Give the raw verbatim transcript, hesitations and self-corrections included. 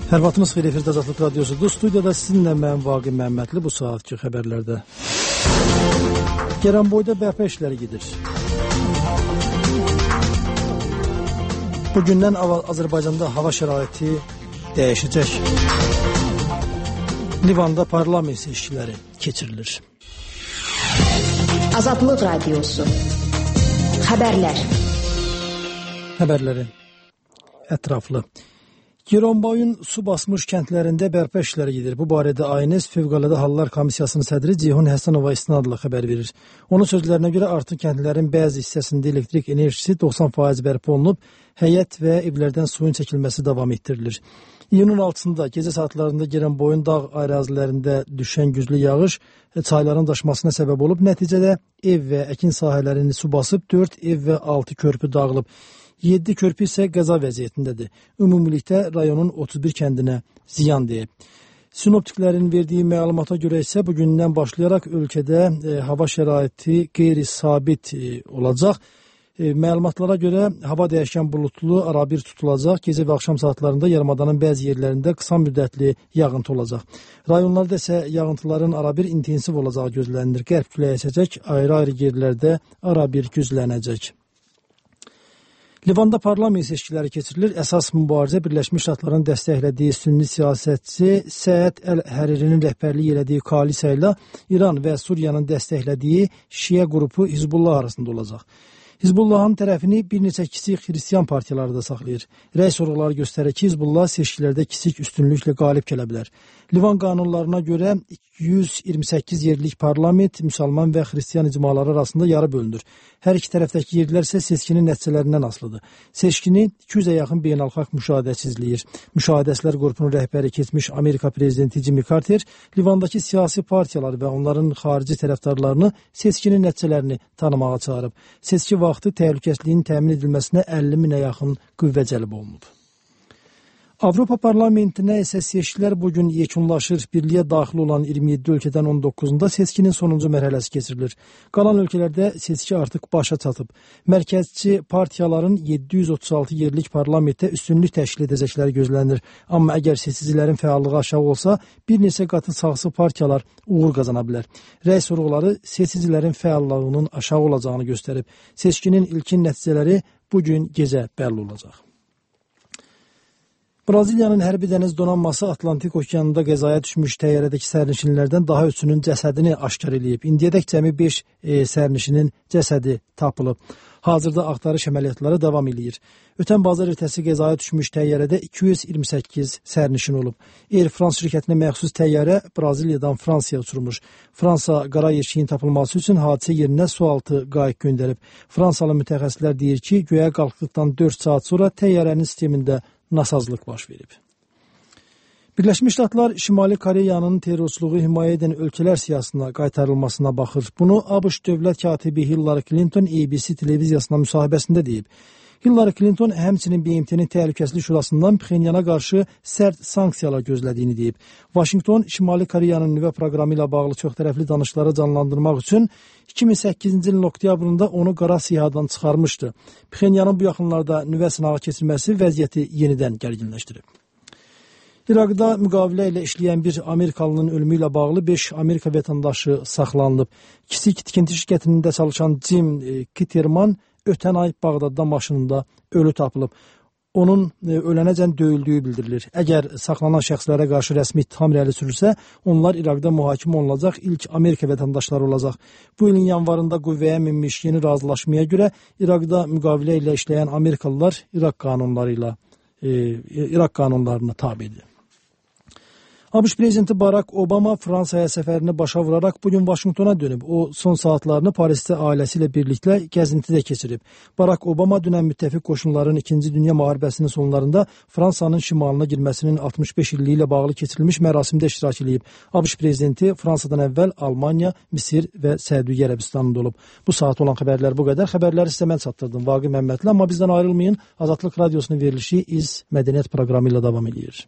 Hər vaxtınız xeyir, efirdə Azadlıq Radiosudur. Studiyada sizinlə mən Vaqif Məmmədli. Bu saatki xəbərlərdə Gəranboyda bərpa işləri gedir. Bugündən Azərbaycanda hava şəraiti dəyişəcək. Livanda parlament seçkiləri keçirilir. Azadlıq Radiosu Xəbərlər Xəbərləri ətraflı. Gəranboyun su basmış kəndlərində bərpa işləri gedir. Bu barədə A N S Fövqəladə Hallar Komissiyasının sədri Ceyhun Həsənova istinadla xəbər verir. Onun sözlərinə görə artıq kəndlərin bəzi hissəsində elektrik enerjisi doxsan faiz bərpa olunub, həyət və evlərdən suyun çəkilməsi davam etdirilir. İyunun altısında gecə saatlarında Gəranboyun dağ ərazilərində düşən güclü yağış çayların daşmasına səbəb olub. Nəticədə ev və əkin sahələrini su basıb, dörd ev və altı körpü dağılıb. yeddi körpü isə qəza vəziyyətindədir. Ümumilikdə rayonun otuz bir kəndinə ziyan deyib. Sinoptiklərin verdiyi məlumata görə isə bugündən başlayaraq ölkədə e, hava şəraiti qeyri-sabit e, olacaq. E, məlumatlara görə hava dəyişkən bulutlu, arabir tutulacaq. Gecə və axşam saatlarında yarımadanın bəzi yerlərində qısa müddətli yağıntı olacaq. Rayonlarda isə yağıntıların arabir intensiv olacağı gözlənilir. Qərb küləyi əsəcək, ayrı-ayrı yerlərdə arabir güclənəcək. Livanda parlament seçkiləri keçirilir. Əsas mübarizə Birləşmiş Ştatların dəstəklədiyi sünni siyasətçi Səəd Əl-Həririnin rəhbərliyi elədiyi koalisiya ilə İran və Suriyanın dəstəklədiyi Şiə qrupu Hizbullah arasında olacaq. Hizbullahın tərəfini bir neçə kiçik xristiyan partiyaları da saxlayır. Rəy sorğuları göstərir ki, Hizbullah seçkilərdə kiçik üstünlüklə qalib gələ bilər. Livan qanunlarına görə yüz iyirmi səkkiz yerlik parlament müsəlman və xristiyan icmaları arasında yarı bölünür. Hər iki tərəfdəki yerlər isə seçkinin nəticələrindən asılıdır. Seçkini iki yüzə yaxın beynəlxalq müşahidəçi izləyir. Müşahidəçilər qrupunun rəhbəri keçmiş Amerika prezidenti Jimmy Carter Livandakı siyasi partiyalar və onların xarici tərəfdarlarını seçkinin nəticələrini tanımağa çağırıb. Seçki vaxtı təhlükəsizliyin təmin edilməsinə əlli minə yaxın qüvvə cəlb olunub. Avropa Parlamentinə isə seçkilər bugün yekunlaşır. Birliyə daxil olan iyirmi yeddi ölkədən on doqquzunda seçkinin sonuncu mərhələsi keçirilir. Qalan ölkələrdə seçki artıq başa çatıb. Mərkəzçi partiyaların yeddi yüz otuz altı yerlik parlamentdə üstünlük təşkil edəcəkləri gözlənilir. Amma əgər seçicilərin fəallığı aşağı olsa, bir neçə qatı sağsı partiyalar uğur qazana bilər. Rəy sorğuları seçicilərin fəallığının aşağı olacağını göstərib. Seçkinin ilkin nəticələri bugün gecə bəlli olacaq. Braziliyanın hərbi dəniz donanması Atlantik okeanında qəzaya düşmüş təyyarədəki sərnişinlərdən daha üçünün cəsədini aşkar edib. İndiyədək cəmi beş e, sərnişinin cəsədi tapılıb. Hazırda axtarış əməliyyatları davam edir. Ötən bazar ertəsi qəzaya düşmüş təyyarədə iki yüz iyirmi səkkiz sərnişin olub. Air France şirkətinə məxsus təyyarə Braziliyadan Fransaya uçurmuş. Fransa qara yeşiyin tapılması üçün hadisə yerinə sualtı qayıq göndərib. Fransalı mütəxəssislər deyir ki, göyə qalxdıqdan dörd saat sonra təyyarənin sistemində nasazlıq baş verib. Birləşmiş Ştatlar Şimali Koreyanın terrorçuluğu himayə edən ölkələr siyasına qaytarılmasına baxır. Bunu ABŞ dövlət katibi Hillary Clinton A B C televiziyasına müsahibəsində deyib. Hillary Clinton həmçinin B M T-nin Təhlükəsizlik Şurasından Pxenyana qarşı sərt sanksiyalar gözlədiyini deyib. Vaşinqton Şimali Koreyanın nüvə proqramı ilə bağlı çoxtərəfli danışıqları canlandırmaq üçün iki min səkkizinci ilin oktyabrında onu qara sihadan çıxarmışdı. Pxenyanın bu yaxınlarda nüvə sınağı keçirməsi vəziyyəti yenidən gərginləşdirib. İraqda müqavilə ilə işləyən bir Amerikalının ölümü ilə bağlı beş Amerika vətəndaşı saxlanılıb. Kiçik tikinti şirkətində çalışan Jim Kitterman ötən ay Bağdadda maşınında ölü tapılıb. Onun ölənəcən döyüldüyü bildirilir. Əgər saxlanan şəxslərə qarşı rəsmi ittiham irəli sürülsə, onlar İraqda mühakimə olunacaq ilk Amerika vətəndaşları olacaq. Bu ilin yanvarında qüvvəyə minmiş yeni razılaşmaya görə İraqda müqavilə ilə işləyən Amerikalılar İraq qanunları ilə e, İraq qanunlarına tabidir. ABŞ prezidenti Barack Obama Fransaya səfərini başa vuraraq bugün Vaşinqtona dönüb. O, son saatlarını Parisdə ailəsi ilə birlikdə gəzintidə keçirib. Barack Obama dünən müttəfiq qoşunların ikinci Dünya müharibəsinin sonlarında Fransanın şimalına girməsinin altmış beş illiyi ilə bağlı keçirilmiş mərasimdə iştirak edib. ABŞ prezidenti Fransadan əvvəl Almaniya, Misir və Səudiyyə Ərəbistanında olub. Bu saat olan xəbərlər bu qədər. Xəbərləri sizə mən çatdırdım, Vaqif Məmmədli. Amma bizdən ayrılmayın. Azadlıq Radiosunun verilişi İz Mədəniyyət proqramı ilə davam edir.